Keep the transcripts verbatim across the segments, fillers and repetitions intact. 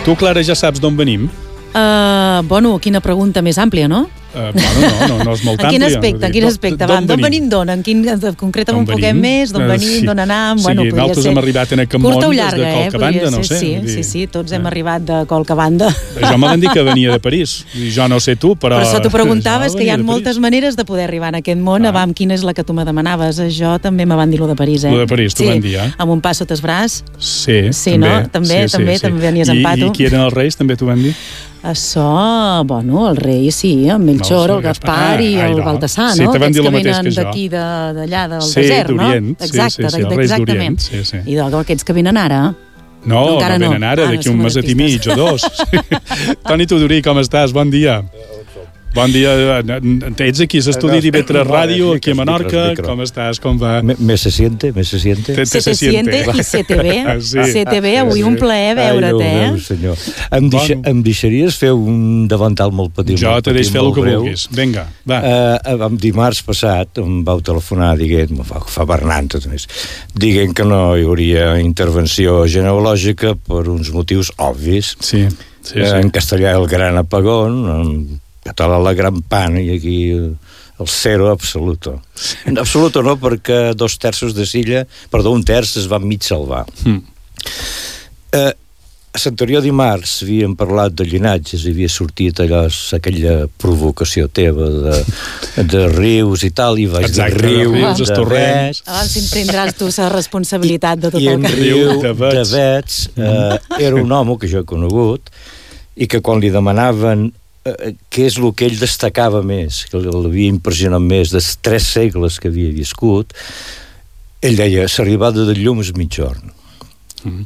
Tu, Clara, ja saps d'on venim? Uh, bueno, quina pregunta més àmplia, no? Uh, bueno, no, no, no és molt àmplia. En quin aspecte? En quin aspecte? D'on venim d'on? En quin, concreta un poquet més? D'on venim? D'on anam? Sí, bueno, nosaltres hem arribat en aquest món des de qualque banda, no sé. Sí, sí, sí, tots hem arribat de qualque banda. Jo me van dir que venia de París. Jo no sé tu, però... Per això t'ho preguntaves, que hi ha moltes maneres de poder arribar en aquest món. Avam, quina és la que tu me demanaves? Jo també me van dir lo de París, eh? Lo de París, t'ho van dir, eh? Amb un pa sota el braç. Sí, sí, també. No? També, sí, també, sí, també venies amb pato. I qui eren els reis, també t'ho van dir? Això, bueno, el rei, sí, el Melchor, no, el Gaspar ah, i el no. Baltasar, no? Sí, te van dir el mateix que jo. Aquests que venen d'aquí, d'allà, del sí, desert, no? Exacte, sí, sí, sí, els reis d'Orient. Sí, sí. I aquests que venen ara? No, no, no venen ara, ah, d'aquí un meset i mig o dos. Toni Tudorí, com estàs? Bon dia. Bon dia, ets aquí a l'estudi d'I V tres Ràdio, aquí a Menorca, com estàs, com va? Me se siente, me se siente. Se se siente i se te ve, se te ve, avui un plaer veure't, eh? Ai, senyor. Em deixaries fer un davantal molt petit? Jo te deixo fer el que vulguis, vinga, va. El dimarts passat em vau telefonar dient, me fa Bernat, dient que no hi hauria intervenció genealògica per uns motius obvis. Sí, sí, sí. En castellà el gran apagón, en català la gran pan i aquí el zero absoluto. En absoluto no, perquè dos terços de Silla, perdó, un terç es va mig salvar. Mm. Eh, a l'anterior dimarts havíem parlat de llinatges, havia sortit allò, aquella provocació teva de, de rius i tal, i vaig Exacte, de riu, rius, de vets... Abans si prendràs tu la responsabilitat de tot I, el que... I en riu de vets, de vets eh, era un home que jo he conegut i que quan li demanaven Uh, què és el que ell destacava més, que l'havia impressionat més dels tres segles que havia viscut, ell deia, l'arribada del llum és mitjorn. Mm.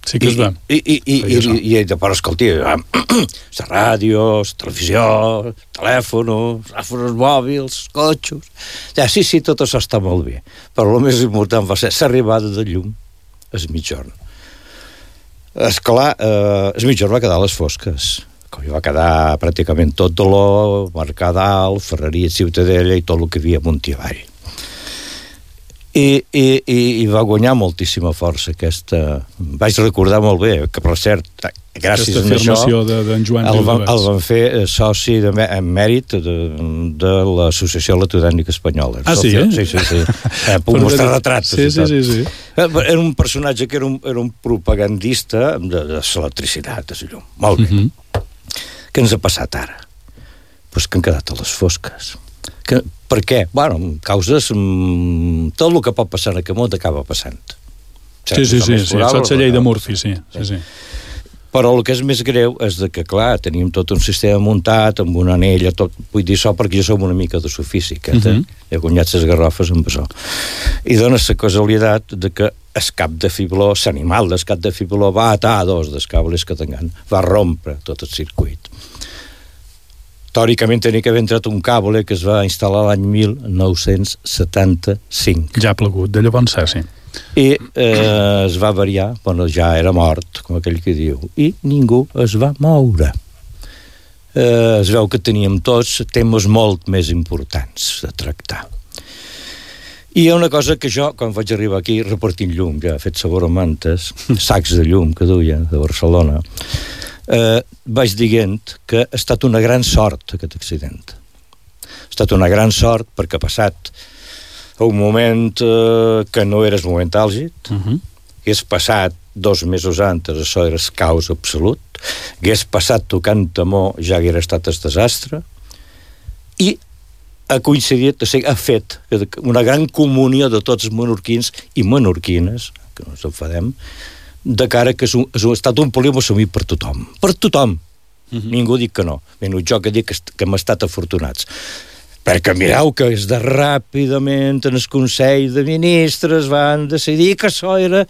Sí que es va. I, i, i, i, i, i ell de part, escolti, la ràdio, la televisió, el telèfon, els telèfons mòbils, els cotxos... Ja, sí, sí, tot això està molt bé, però el més important va ser l'arribada del llum és mitjorn. Esclar, eh, el mitjorn va quedar a les fosques, com hi va quedar pràcticament tot Dolor, Mercadal, Ferreria, Ciutadella i tot el que havia amunt i avall. I, i, i, i va guanyar moltíssima força aquesta... Vaig recordar molt bé, que per cert, gràcies a això, de, de Joan el, van, el van fer soci de, en mèrit de, de l'Associació Electrodècnica Espanyola. Ah, sí, eh? Sí, sí, sí. Eh, puc mostrar retrats. Sí, sí, sí, sí. Era un personatge que era un, era un propagandista de, de l'electricitat, de llum. Molt bé. Mm-hmm. Què ens ha passat ara? Pues que han quedat a les fosques. Que, per què? Bueno, causes... Mm, tot el que pot passar en aquest món acaba passant. Sí, sí, sí, sí, saps la llei de Murphy, sí, sí, sí. Però el que és més greu és de que, clar, tenim tot un sistema muntat, amb una anella, tot, vull dir això perquè jo som una mica de sofísica, eh? Uh-huh. He guanyat les garrofes amb això. I dona la casualitat de que el cap de fibló, l'animal del cap de fibló va atar dos dels cables que tenen, va rompre tot el circuit. Teòricament tenia que haver entrat un cable que es va instal·lar l'any mil nou-cents setanta-cinc. Ja ha plegut, de llavors sí. I eh, es va variar, bueno, ja era mort, com aquell que diu, i ningú es va moure. Eh, es veu que teníem tots temes molt més importants de tractar. I hi ha una cosa que jo, quan vaig arribar aquí, repartint llum, ja he fet sabor a mantes, sacs de llum que duia, de Barcelona, eh, vaig dient que ha estat una gran sort aquest accident. Ha estat una gran sort perquè ha passat un moment eh, que no era el moment àlgid, uh-huh. hagués passat dos mesos antes, això era el caos absolut, hagués passat tocant temor, ja haguera estat el desastre, i ha coincidit, o sigui, ha fet una gran comunió de tots els menorquins i menorquines, que no ens enfadem, de cara que ha estat un polígon assumit per tothom. Per tothom. Uh-huh. Ningú dic que no. Menys jo que dic que, que hem estat afortunats. Perquè mireu que és de ràpidament en el Consell de Ministres van decidir que això era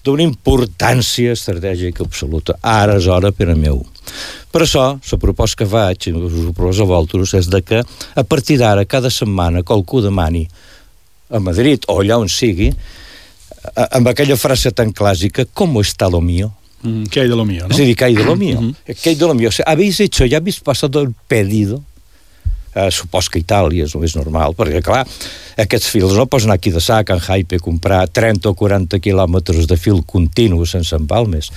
d'una importància estratègica absoluta. Ara és hora per a meu. Per això, la proposta que faig, i us ho proposo a vosaltres, és de que a partir d'ara, cada setmana, qualcú demani a Madrid o allà on sigui, amb aquella frase tan clàssica, ¿cómo está lo mío? Mm, ¿qué hay de lo mío, no? És a dir, ¿qué hay de lo mío? Mm-hmm. ¿Qué hay de lo mío? O sea, ¿habéis hecho, ya habéis pasado el pedido? Uh, supos que Itàlia és el més normal, perquè, clar, aquests fils no pots anar aquí de sac en Hype a comprar trenta o quaranta quilòmetres de fil continu sense empalmes.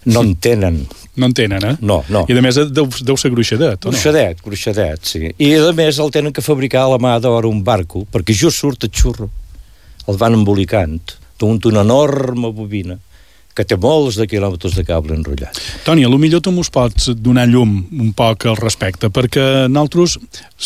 No en tenen. No en tenen, eh? No, no. I, a més, deu, deu ser gruixadet, o no? Gruixadet, gruixadet, sí. I, a més, el tenen que fabricar a la mà d'hora un barco, perquè just surt el xurro. El van embolicant. Té una enorme bobina que té molts de quilòmetres de cable enrotllat. Toni, a lo millor tu mos pots donar llum un poc al respecte, perquè nosaltres,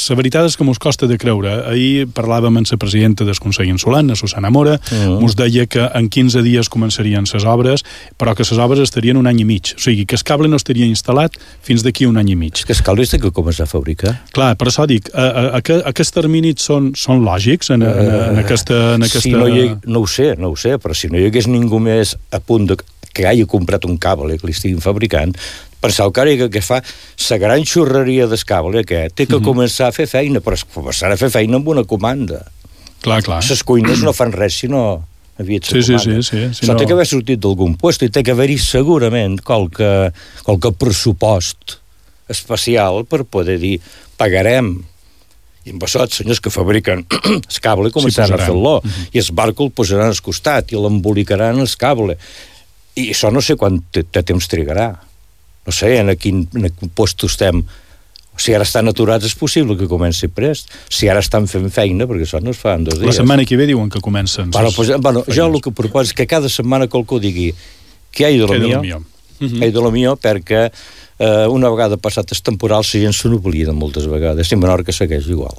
la veritat és que mos costa de creure. Ahir parlàvem amb la presidenta del Consell Insulant, la Susana Mora, mm. mos deia que en quinze dies començarien les obres, però que les obres estarien un any i mig. O sigui, que el cable no estaria instal·lat fins d'aquí un any i mig. És que el cable és que començar a fabricar. Clar, per això dic, a, a, a, aquests terminis són, són lògics en, en, en, aquesta, en aquesta... Si no, hi, no ho sé, no ho sé, però si no hi hagués ningú més a punt de que hagi comprat un cable que li estiguin fabricant, penseu que ara que, que fa la gran xurreria del cable aquest, té que mm-hmm. començar a fer feina, però començar a fer feina amb una comanda. Clar, clar. Les cuines no fan res si no havia sí, sí, sí, sí, sí. Això no... té que haver sortit d'algun lloc i té que haver-hi segurament qualque, qualque pressupost especial per poder dir, pagarem i amb això, els senyors que fabriquen el cable començaran sí, a fer-lo, mm-hmm. i el barco el posaran al costat i l'embolicaran el cable. I això no sé quant de temps trigarà. No sé en quin, en quin lloc estem. Si ara estan aturats és possible que comenci prest. Si ara estan fent feina, perquè això no es fa en dos dies. La setmana que ve diuen que comencen. Bueno, pues, bueno, jo el que proposo és que cada setmana qualcú digui que hi ha de lo millor, mm-hmm. hi ha de lo millor, perquè eh, una vegada passat el temporal la gent se n'oblida moltes vegades, i Menorca segueix igual.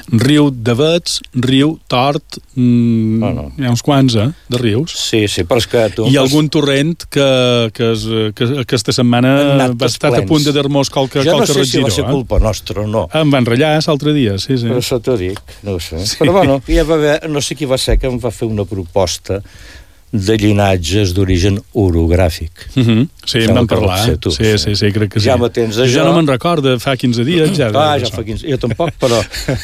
Riu de Vets, riu Tort, mmm, oh, no. hi ha uns quants, eh, de rius. Sí, sí, però és que tu... I algun torrent que, que, es, que aquesta setmana va estar a punt de dar-nos qualque regidor. Jo no sé si va ser culpa eh? nostra o no. Em van ratllar l'altre dia, sí, sí. Però això t'ho dic, no ho sé. Sí. Però bueno, ja va haver, no sé qui va ser que em va fer una proposta de llinatges d'origen orogràfic. Mm-hmm. Sí, em van parlar. Tu, sí, sí, sí, crec que sí. Ja me tens a jo. Ja no me'n recordo, fa quinze dies. Ja, ah, ja fa quinze. Jo tampoc, però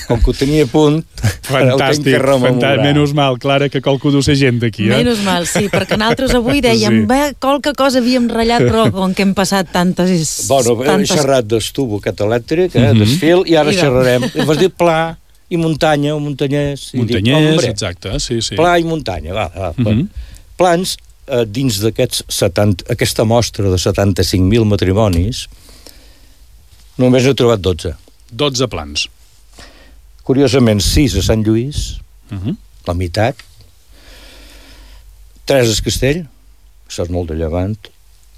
com que ho tenia a punt, fantàstic, fantàstic. Menys mal, Clara, que qualcú duu ser gent d'aquí. Eh? Menys mal, sí, perquè nosaltres avui dèiem, sí. bé, qualque cosa havíem ratllat, però com que hem passat tantes... Bueno, tantes... he xerrat d'estubo aquest elèctric, eh, mm-hmm. desfil, i ara I xerrarem. I vas dir pla i muntanya, o muntanyès. Muntanyès, dic, exacte, sí, sí. Pla i muntanya, va, va, va. Mm-hmm. Plans, eh, dins d'aquests setanta, aquesta mostra de setanta-cinc mil matrimonis, només n'he trobat dotze. dotze plans. Curiosament, sis a Sant Lluís, uh-huh. la meitat, tres a Castell, això és molt de llevant,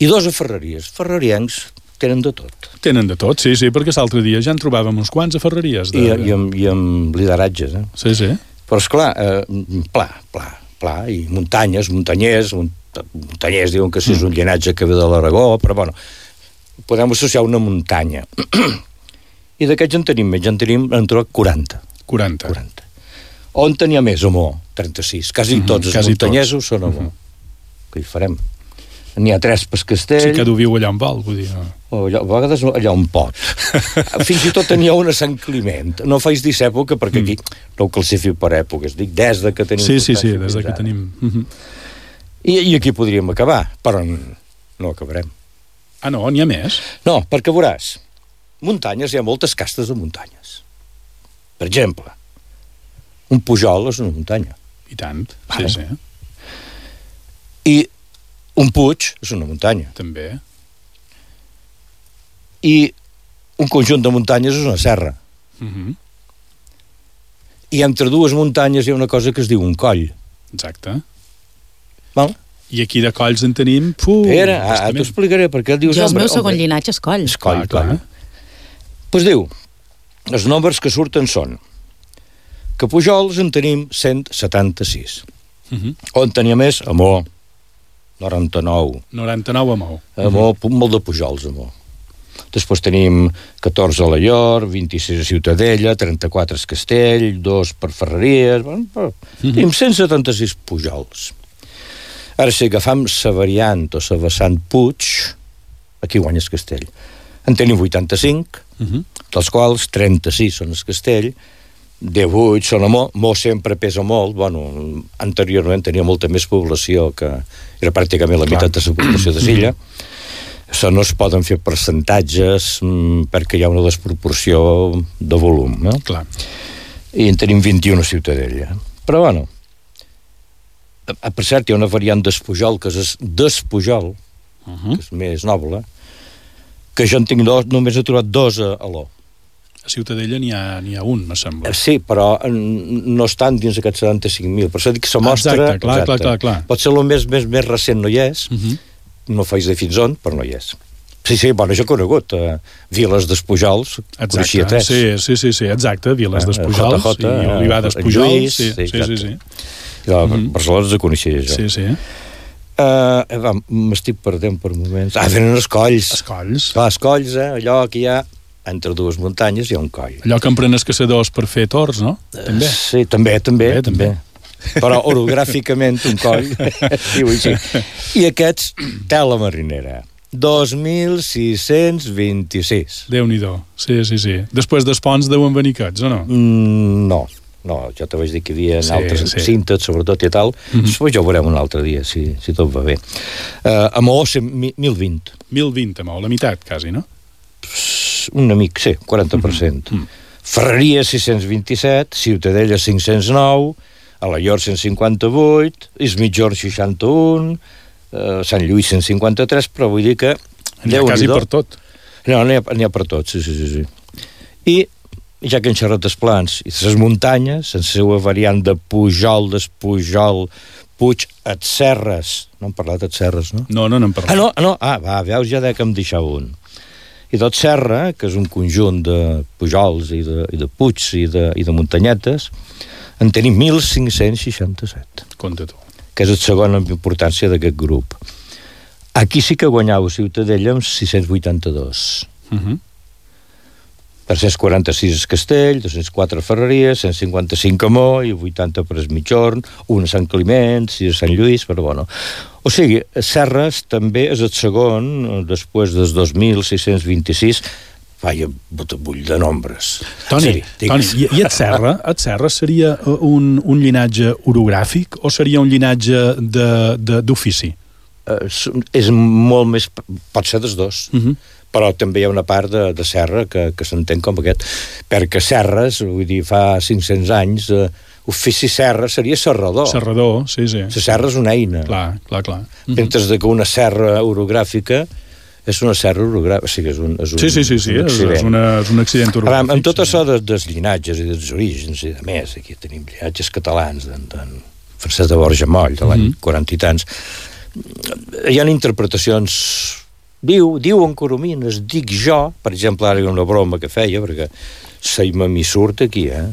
i dos a Ferreries. Ferreriencs tenen de tot. Tenen de tot, sí, sí, perquè l'altre dia ja en trobàvem uns quants a Ferreries. De... I, i, amb, i amb lideratges, eh? Sí, sí. Però, esclar, eh, pla, pla, pla, i muntanyes, muntanyers, muntanyers diuen que sí, és un llinatge que ve de l'Aragó, però bueno, podem associar una muntanya. I d'aquests en tenim més, en tenim, en trobat quaranta. quaranta. quaranta. On tenia més, Amor? trenta-sis. Quasi uh-huh, tots els muntanyesos tots. Són Amor. Uh-huh. Què hi farem? N'hi ha tres per Castell. Sí, cada viu allà on vol, vull dir. No? O allà, a vegades allà on pot. Fins i tot tenia una Sant Climent. No faig dir època, perquè aquí mm. no ho classifico per èpoques. Dic, des de que tenim... Sí, sí, sí, des de que tenim... Uh-huh. I, I aquí podríem acabar, però no acabarem. Ah, no? N'hi ha més? No, perquè veuràs, muntanyes, hi ha moltes castes de muntanyes. Per exemple, un Pujol és una muntanya. I tant, sí, vale. Sí. I un Puig és una muntanya. També. I un conjunt de muntanyes és una serra. Uh-huh. I entre dues muntanyes hi ha una cosa que es diu un coll. Exacte. Val? I aquí de colls en tenim... Puh, Espera, ah, t'ho explicaré, perquè dius... Jo el meu segon llinatge és coll. És coll, clar. Doncs pues diu, els nombres que surten són que Pujols en tenim cent setanta-sis. Uh-huh. On tenia més? Amor. noranta-nou. noranta-nou a Mou. A Mou, uh-huh. molt de Pujols, a Mou. Després tenim catorze a la Llor, vint-i-sis a Ciutadella, trenta-quatre a Castell, dos per Ferreries... Bueno, uh-huh. Tenim cent setanta-sis Pujols. Ara, si agafam la variant o la vessant Puig, aquí guanyes Castell. En tenim vuitanta-cinc, uh-huh. dels quals trenta-sis són el Castell, divuit són a Mo, Mo sempre pesa molt, bueno, anteriorment tenia molta més població, que era pràcticament la meitat de la població de Silla. Això no es poden fer percentatges mm, perquè hi ha una desproporció de volum, no? Clar. I en tenim vint-i-una a Ciutadella. Però, bueno, per cert, hi ha una variant d'Espujol, que és Despujol, uh-huh. que és més noble, que jo en tinc dos, només he trobat dos a, a l'O. A Ciutadella n'hi ha, n'hi ha un, me sembla. Sí, però no estan dins aquests setanta-cinc mil. Per això dic que se mostra... Exacte, clar, exacte. clar, clar, clar. Pot ser el més, més, més recent, no hi és. Uh-huh. No faig de fins on, però no hi és. Sí, sí, bueno, jo he conegut uh, Viles d'Espujols, coneixia tres. Sí, sí, sí, sí, exacte, Viles uh, d'Espujols J J, i Olivar d'Espujols. Sí, sí, sí, sí. I la uh-huh. Barcelona els coneixia jo. Sí, sí. Uh, va, m'estic perdent per moments. Ah, venen Escolls. Escolls. Clar, Escolls, eh? Allò que hi ha entre dues muntanyes hi ha un coll. Allò que emprenen els caçadors per fer tors, no? També. Uh, sí, també, també, també. també. Però orogràficament un coll diu així. I aquests, tela marinera. dos mil sis-cents vint-i-sis. Déu-n'hi-do. Sí, sí, sí. Després dels ponts deuen venir aquests, o no? Mm, no. No, jo te vaig dir que hi havia sí, altres sí. cintes, sobretot i tal. Mm-hmm. Després ja ho veurem un altre dia, si, si tot va bé. Uh, a Maó, mil vint. mil vint a Maó, la meitat, quasi, no? Un amic, sí, quaranta per cent. Mm-hmm. Ferreria, sis-cents vint-i-set, Ciutadella, cinc-cents nou, Alaior, cent cinquanta-vuit, Ismitjorn, seixanta-un, uh, Sant Lluís, cent cinquanta-tres, però vull dir que... N'hi ha quasi per tot. No, n'hi ha, n'hi ha per tot, sí, sí, sí. sí. I ja que han xerrat dels plans i les muntanyes, en la seva variant de Pujol, Despujol, Puig, et Serres, no hem parlat et Serres, no? No, no n'hem parlat. Ah, no, no, ah, va, veus, ja que em deixava un. I tot Serra, que és un conjunt de pujols i de, i de puigs i de, i de muntanyetes, en tenim mil cinc-cents seixanta-set. Compte tu. Que és el segon en importància d'aquest grup. Aquí sí que guanyau Ciutadella amb sis-cents vuitanta-dos. Uh-huh. tres-cents quaranta-sis a Castell, dos-cents quatre a Ferreria, cent cinquanta-cinc a Mo i vuitanta per Esmitjorn, un a Sant Climent, sis a Sant Lluís, però bueno. O sigui, Serres també és el segon, després dels dos mil sis-cents vint-i-sis, vaja, botabull de nombres. Toni, sí, Toni i, i et Serra, et Serra seria un, un llinatge orogràfic o seria un llinatge d'ofici? Uh, és molt més... Pot ser dels dos. Uh-huh. Però també hi ha una part de, de Serra que, que s'entén com aquest, perquè Serres, vull dir, fa cinc-cents anys, eh, ofici Serra seria serrador. Serrador, sí, sí. La serra és una eina. Clar, clar, clar. Mentre que una serra orogràfica és una serra orogràfica, o sigui, és un, és un Sí, sí, sí, sí, un és, és, una, és un accident orogràfic. Ara, amb tot això de, dels llinatges i dels orígens i de més, aquí tenim llinatges catalans d'en Francesc de Borja Moll, de l'any mm-hmm. quaranta i tants, hi ha interpretacions... Diu, diuen coromines, dic jo, per exemple, ara hi ha una broma que feia, perquè Saimamí surt aquí, eh?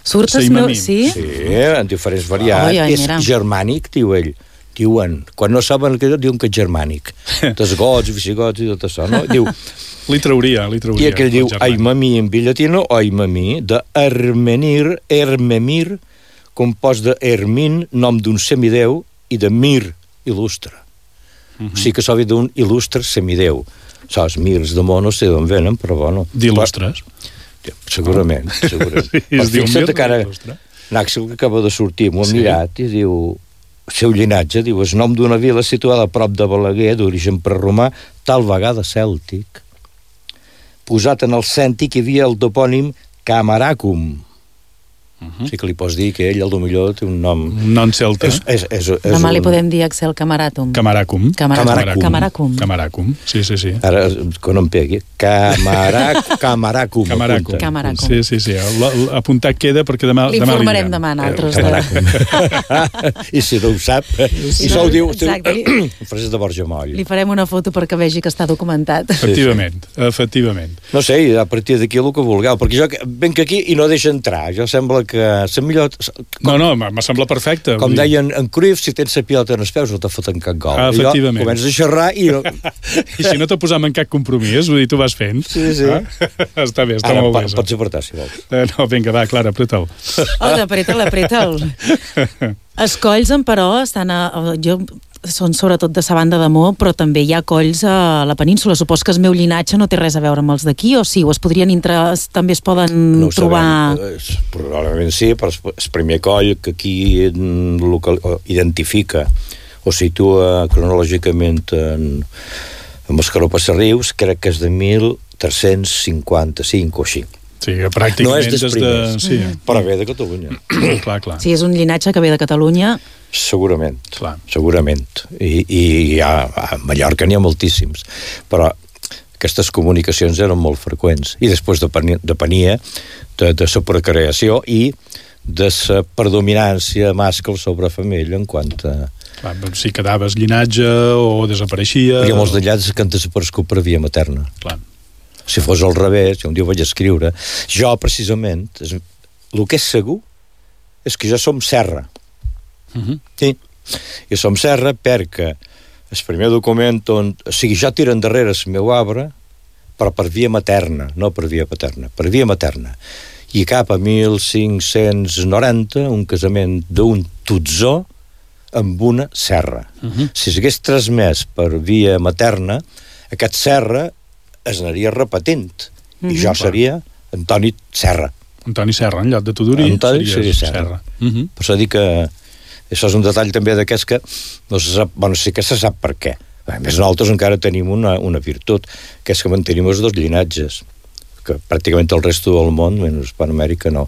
Surt el meu, sí? Sí, en diferents variants. Oh, ja, és germànic, diu ell. Diuen, quan no saben el que diuen que és germànic. Dels gots, visigots i tot això, no? Diu... Li trauria, li trauria. I aquell diu, aimamí en billatino, o aimamí, de Hermenir, Hermemir, compost de Hermin, nom d'un semideu, i de Mir, il·lustre. Uh-huh. O sigui que s'ha dit d'un il·lustre semideu. Saps, mirs de món no sé d'on venen, però bueno... D'il·lustres? Segurament, oh. segurament. Sí, però fixa't que ara Nàxil, que acaba de sortir, m'ho ha sí. mirat i diu, el seu llinatge, diu, és nom d'una vila situada a prop de Balaguer, d'origen preromà, tal vegada cèltic. Posat en el cèntic hi havia el topònim Camaracum. Uh-huh. Sí que li pots dir que ell, el millor, té un nom... Un nom celta. És, és, és, és Demà un... li podem dir Axel Camaracum. Camaracum. Camaracum. Camaracum. Camaracum. Sí, sí, sí. Ara, quan em pegui. Camarac... Camaracum. Camaracum. Camaracum. Sí, sí, sí. Apuntat queda perquè demà li demà informarem demà nosaltres. Camaracum. I si no ho sap... Sí, I no, ho diu... Exacte. Francesc de Borja Moll. Li farem una foto perquè vegi que està documentat. Efectivament. Efectivament. No sé, a partir d'aquí el que vulgueu, perquè jo venc aquí i no deixa entrar. Jo sembla que la millor... Com, no, no, me sembla perfecte. Com deien en Cruyff, si tens la pilota en els peus no te foten cap gol. Ah, efectivament. I jo comences a xerrar i... No... I si no te posam en cap compromís, vull dir, tu vas fent. Sí, sí. Ah? Està bé, està Ara, molt bé. Ara, pots apretar, si vols. Eh, no, vinga, va, Clara, apreta'l. Oh, apreta'l, apreta'l. Els colls, però, estan a... Jo... són sobretot de sa banda de Mo, però també hi ha colls a la península. Supos que el meu llinatge no té res a veure amb els d'aquí, o sí? O es podrien intra... també es poden no trobar... Sabem. Probablement sí, però el primer coll que aquí local, identifica o situa cronològicament en, amb Mascaró Passarrius, crec que és de mil tres-cents cinquanta-cinc o així. Sí, pràcticament no és dels primers, de... sí. però ve de Catalunya. clar, clar. Sí, és un llinatge que ve de Catalunya. Segurament, clar. segurament. I, i a, a Mallorca n'hi ha moltíssims, però aquestes comunicacions eren molt freqüents. I després depenia, depenia de, de la procreació i de la predominància mascle sobre femella en quant a... Clar, si quedaves llinatge o desapareixia... Hi ha molts d'allats que han desaparegut per via materna. Clar. Si fos al revés, un dia ho vaig escriure, jo precisament, és, el que és segur és que jo som serra. Uh-huh. Sí, jo som serra perquè el primer document on... O sigui, jo tiro endarrere el meu arbre, però per via materna, no per via paterna, per via materna. I cap a mil cinc-cents noranta, un casament d'un tutzó amb una serra. Uh-huh. Si s'hagués transmès per via materna, aquest serra es anaria repetint. Uh-huh. I jo seria Antoni Serra. Antoni Serra, en lloc de Tudurí, Antoni seria Serra. Serra. Uh-huh. Per això dic que això és un detall també d'aquests que no se sap, bueno, sí que se sap per què. A més, nosaltres encara tenim una, una virtut, que és que mantenim els dos llinatges, que pràcticament el resto del món, menys Hispanoamèrica, no.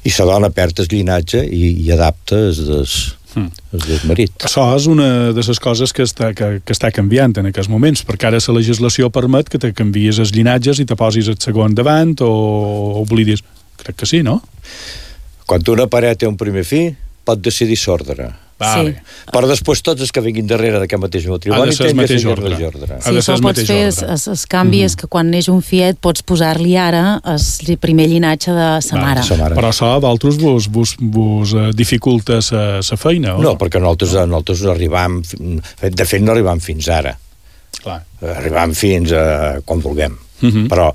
I la dona perd el llinatge i, i adapta el des, mm. des marit. Això és una de les coses que està, que, que està canviant en aquests moments, perquè ara la legislació permet que te canvies els llinatges i te posis el segon davant o oblidis. Crec que sí, no? Quan una parella té un primer fill, pot decidir s'ordre. Vale. Sí. Però després tots els que vinguin darrere d'aquest mateix matrimoni tenen que seguir ordre. ordre. Sí, això pots fer el canvi, és que quan neix un fiet pots posar-li ara el primer llinatge de sa mare. Sa mare. Però això a vosaltres vos, vos, vos dificulta la feina, o no? No, perquè nosaltres, nosaltres no arribam, de fet no arribam fins ara. Clar. Arribam fins a quan vulguem. Uh-huh. Però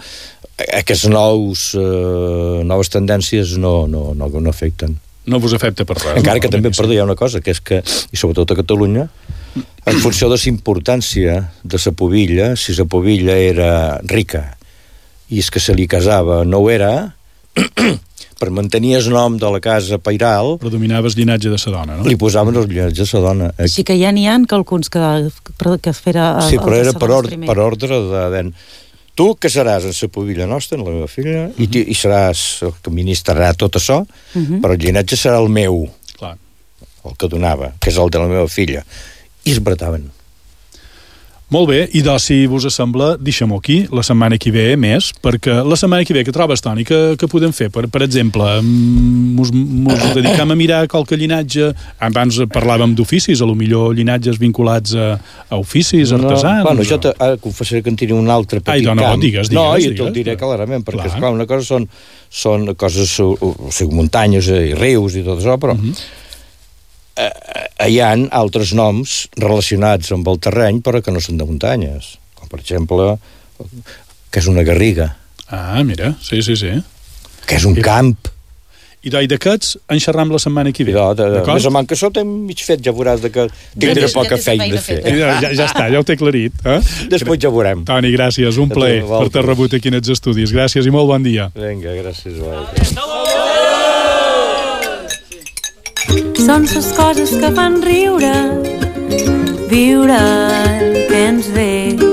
aquestes nous, uh, noves tendències no, no, no, no afecten. No vos afecta per res. Encara no? que també, perdó, hi ha una cosa, que és que, i sobretot a Catalunya, en funció de la importància de la pubilla, si la pubilla era rica i és que se li casava no ho era, per mantenir el nom de la casa pairal... Predominava el llinatge de la dona, no? Li posaven el llinatge de la dona. Així que ja n'hi ha alguns que, que fera... Sí, però era per, or, per ordre de... de tu casaràs en la pubilla nostra, en la meva filla, uh-huh. i, i seràs el que ministrarà tot això, uh-huh. però el llinatge serà el meu. Clar. El que donava, que és el de la meva filla. I es brataven. Molt bé, i doncs, si vos sembla, deixem-ho aquí, la setmana que ve més, perquè la setmana que ve que trobes, Toni, que, que podem fer? Per, per exemple, mos, mos dedicam a mirar qualque llinatge, abans parlàvem d'oficis, a lo millor llinatges vinculats a, a oficis, artesans... No, bueno, jo te, ara confessaré que en tinc un altre petit Ai, no, no, camp. Digues, digues, no, digues, jo te'l diré clarament, perquè, clar. esclar, una cosa són, són coses, o, o sigui, muntanyes i rius i tot això, però... Uh-huh. Hi ha altres noms relacionats amb el terreny però que no són de muntanyes, com per exemple que és una garriga. Ah, mira, sí, sí, sí. Que és un I, camp. I d'aquests en xerram la setmana que ve. No, de, de, més o menys que això t'hem mig fet, ja veuràs de que tindré ja, poca ja feina a fer. Ja, ja, ja està, ja ho t'he aclarit. Eh? Després ja veurem. Toni, gràcies, un plaer per t'haver rebut aquí en els estudis. Gràcies i molt bon dia. Vinga, gràcies. Vosaltres. Són les coses que fan riure, viure el que ens ve.